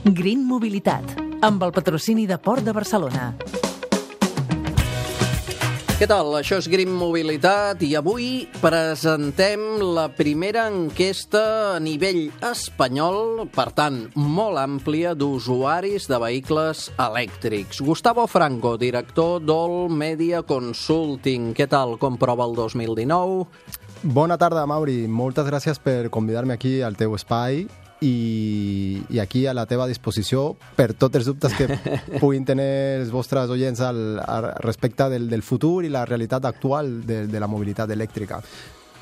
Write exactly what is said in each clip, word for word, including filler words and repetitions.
Green Mobilitat, amb el patrocini de Port de Barcelona. Què tal? Això és Green Mobilitat i avui presentem la primera enquesta a nivell espanyol, per tant, molt àmplia, d'usuaris de vehicles elèctrics. Gustavo Franco, director d'All Media Consulting. Què tal? Com prova el dos mil dinou? Bona tarda, Mauri. Moltes gràcies per convidar-me aquí al teu espai i, i aquí a la teva disposició per tots els dubtes que puguin tenir els vostres oients al, al respecte del, del futur i la realitat actual de, de la mobilitat elèctrica.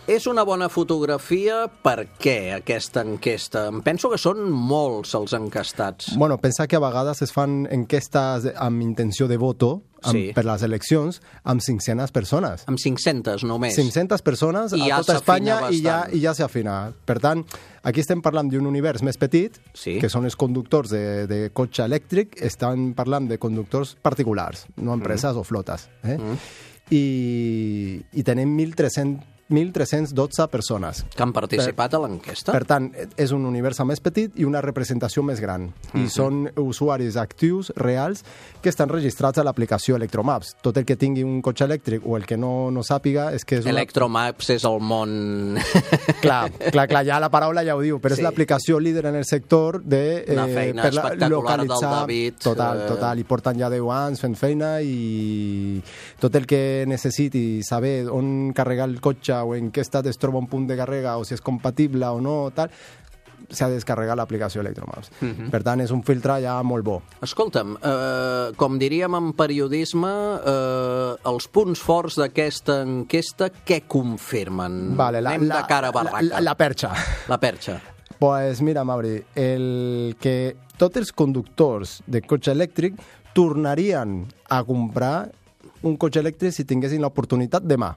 És una bona fotografia. Per què aquesta enquesta? Em penso que són molts els encastats. Bueno, pensa que a vegades es fan enquestes amb intenció de voto amb, sí. per les eleccions amb cinc-centes persones. Amb cinc-centes només. cinc-centes persones I a ja tota Espanya bastant. i ja, i ja s'afina. Per tant, aquí estem parlant d'un univers més petit, sí. que són els conductors de, de cotxe elèctric, estan parlant de conductors particulars, no empreses mm. o flotes. Eh? Mm. I, I tenim mil tres-cents dotze persones. Que han participat per, a l'enquesta. Per tant, és un univers més petit i una representació més gran. Mm-hmm. I són usuaris actius, reals, que estan registrats a l'aplicació Electromaps. Tot el que tingui un cotxe elèctric o el que no, no sàpiga és que és una... Electromaps és el món... Clar, clar, clar, ja la paraula ja ho diu, però sí. És l'aplicació líder en el sector de... Una feina eh, espectacular localitzar... del David. Total, total, i porten ja deu anys fent feina i tot el que necessiti saber on carregar el cotxe o en què estat es troba un punt de càrrega o si és compatible o no, tal, s'ha de descarregar l'aplicació Electromaps. Uh-huh. Per tant, és un filtre ja molt bo. Escolta'm, eh, com diríem en periodisme, eh, els punts forts d'aquesta enquesta, què confirmen? Vale, la, Anem la, de cara a barraca. La, la, la perxa. La perxa. Pues mira, Mauri, el que tots els conductors de cotxe elèctric tornarien a comprar un cotxe elèctric si tinguessin l'oportunitat demà.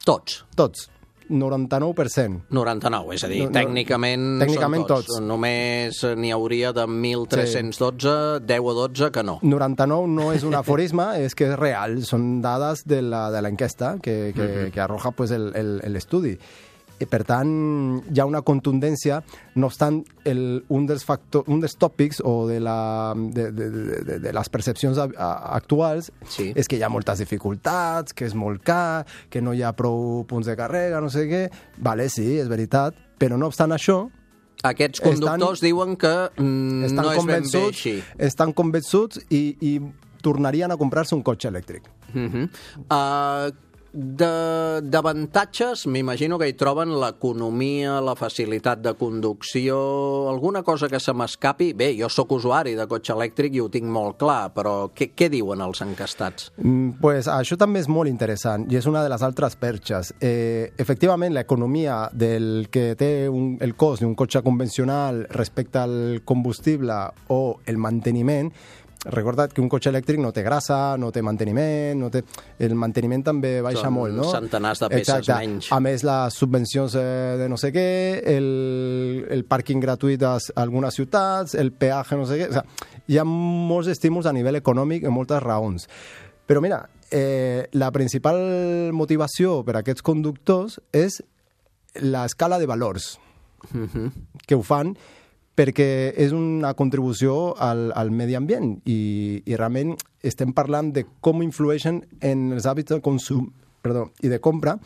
Tots? Tots. noranta-nou per cent. noranta-nou, és a dir, no, no, tècnicament, tècnicament són tots. tots. Només n'hi hauria de mil tres-cents dotze, sí. deu a dotze que no. noranta-nou no és un aforisme, és que és real. Són dades de l'enquesta que, que, uh-huh. que arroja pues, l'estudi. I, per tant, hi ha una contundència. No obstant, el, un, dels factor, un dels tòpics o de, la, de, de, de, de les percepcions a, a, actuals sí. és que hi ha moltes dificultats, que és molt car, que no hi ha prou punts de càrrega, no sé què. Vale, sí, és veritat, però no obstant això... Aquests conductors estan, diuen que mm, no és ben bé així. Estan convençuts i, i tornarien a comprar-se un cotxe elèctric. Uh-huh. Uh, D'avantatges, m'imagino que hi troben l'economia, la facilitat de conducció, alguna cosa que se m'escapi. Bé, jo sóc usuari de cotxe elèctric i ho tinc molt clar, però què, què diuen els encastats? Mm, pues això també és molt interessant i és una de les altres perxes. Eh, efectivament, l'economia del que té un, el cost d'un cotxe convencional respecte al combustible o el manteniment. Recorda't que un cotxe elèctric no té grassa, no té manteniment, no té... el manteniment també baixa Són molt, no? Centenars de peces Exacte. Menys. A més, les subvencions eh, de no sé què, el, el pàrquing gratuït a algunes ciutats, el peatge, no sé què... O sigui, hi ha molts estímuls a nivell econòmic i moltes raons. Però mira, eh, la principal motivació per a aquests conductors és l'escala de valors uh-huh. que ho fan perquè és una contribució al, al medi ambient i, i realment estem parlant de com influeixen en els hàbits de consum perdó, i de compra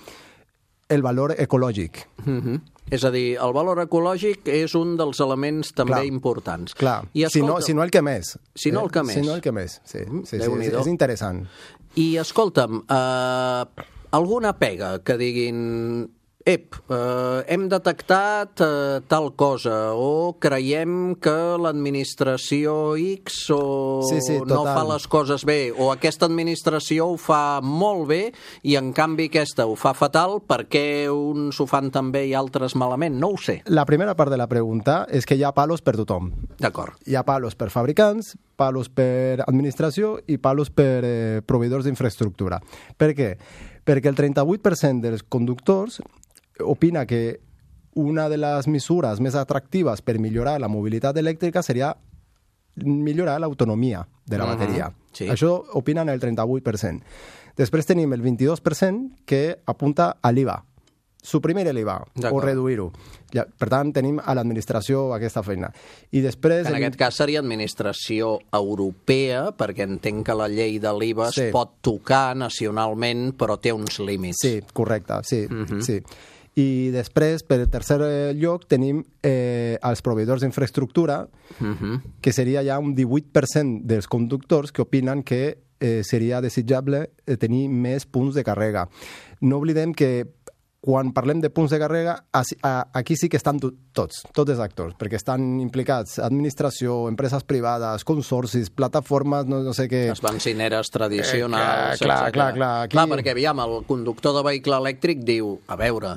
el valor ecològic. Uh-huh. És a dir, el valor ecològic és un dels elements també clar, importants. Clar, I escolta, si, no, si no el que més. Si no el que més. Si no el que més, sí. sí, sí és, és interessant. I escolta'm, eh, alguna pega que diguin... Ep, eh, hem detectat eh, tal cosa o creiem que l'administració X o sí, sí, no fa les coses bé o aquesta administració ho fa molt bé i en canvi aquesta ho fa fatal, per què uns ho fan tan bé i altres malament? No ho sé. La primera part de la pregunta és que hi ha palos per tothom. D'acord. Hi ha palos per fabricants, palos per administració i palos per eh, proveïdors d'infraestructura. Per què? Perquè el trenta-vuit per cent dels conductors opina que una de les mesures més atractives per millorar la mobilitat elèctrica seria millorar l'autonomia de la bateria. Uh-huh. Sí. Això opinen el trenta-vuit per cent. Després tenim el vint-i-dos per cent que apunta a l'I V A. suprimir l'I V A o reduir-ho. Ja, per tant, tenim a l'administració aquesta feina. I després... En aquest cas seria administració europea, perquè entenc que la llei de l'I V A sí. es pot tocar nacionalment, però té uns límits. Sí, correcte, sí. Uh-huh. sí. I després, per tercer lloc, tenim eh, els proveïdors d'infraestructura, uh-huh. que seria ja un divuit per cent dels conductors que opinen que eh, seria desitjable tenir més punts de càrrega. No oblidem que quan parlem de punts de càrrega, aquí sí que estan tots, tots els actors, perquè estan implicats administració, empreses privades, consorcis, plataformes, no, no sé què... Les benzineres tradicionals... Eh, clar, clar, clar, aquí... clar, perquè, aviam, el conductor de vehicle elèctric diu, a veure...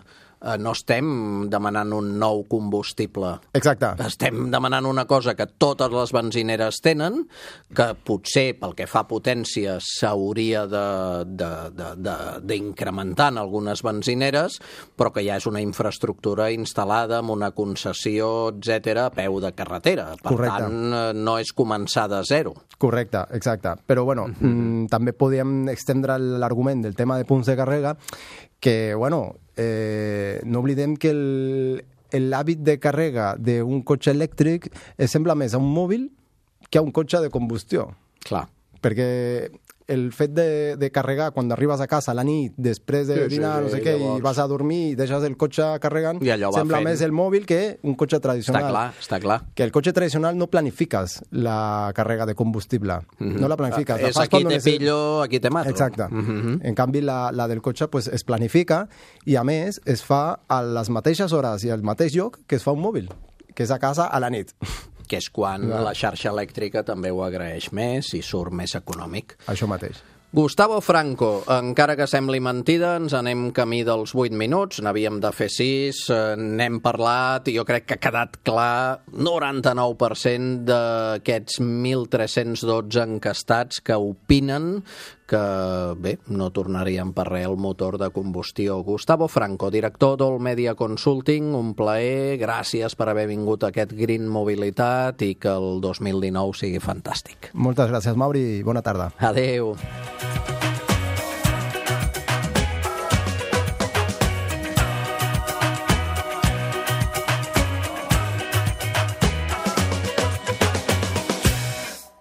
no estem demanant un nou combustible. Exacte. Estem demanant una cosa que totes les benzineres tenen, que potser pel que fa a potència s'hauria d'incrementar en algunes benzineres, però que ja és una infraestructura instal·lada amb una concessió, etcètera, a peu de carretera. Per Correcte. tant, no és començar de zero. Correcte, exacte. Però, bueno, uh-huh. mm, també podríem extendre l'argument del tema de punts de càrrega, que, bueno, eh, no oblidem que l'hàbit de càrrega d'un cotxe elèctric es sembla més a un mòbil que a un cotxe de combustió. Clar. Perquè el fet de, de carregar quan arribes a casa a la nit, després de sí, dinar, sí, no sé què, llavors... i vas a dormir i deixes el cotxe carregant, sembla fent... més el mòbil que un cotxe tradicional. Està clar, està clar. Que el cotxe tradicional no planifiques la càrrega de combustible. Mm-hmm. No la planifiques. Ah, és aquí te pillo, aquí te mato. Exacte. Mm-hmm. En canvi, la, la del cotxe pues, es planifica i, a més, es fa a les mateixes hores i al mateix lloc que es fa un mòbil, que és a casa a la nit. Que és quan ja. la xarxa elèctrica també ho agraeix més i surt més econòmic. Això mateix. Gustavo Franco, encara que sembli mentida, ens anem camí dels vuit minuts, n'havíem de fer sis, n'hem parlat i jo crec que ha quedat clar noranta-nou per cent d'aquests mil tres-cents dotze encastats que opinen que, bé, no tornaríem per res el motor de combustió. Gustavo Franco, director d'All Media Consulting, un plaer, gràcies per haver vingut a aquest Green Mobilitat i que el dos mil dinou sigui fantàstic. Moltes gràcies, Mauri, i bona tarda. Adéu.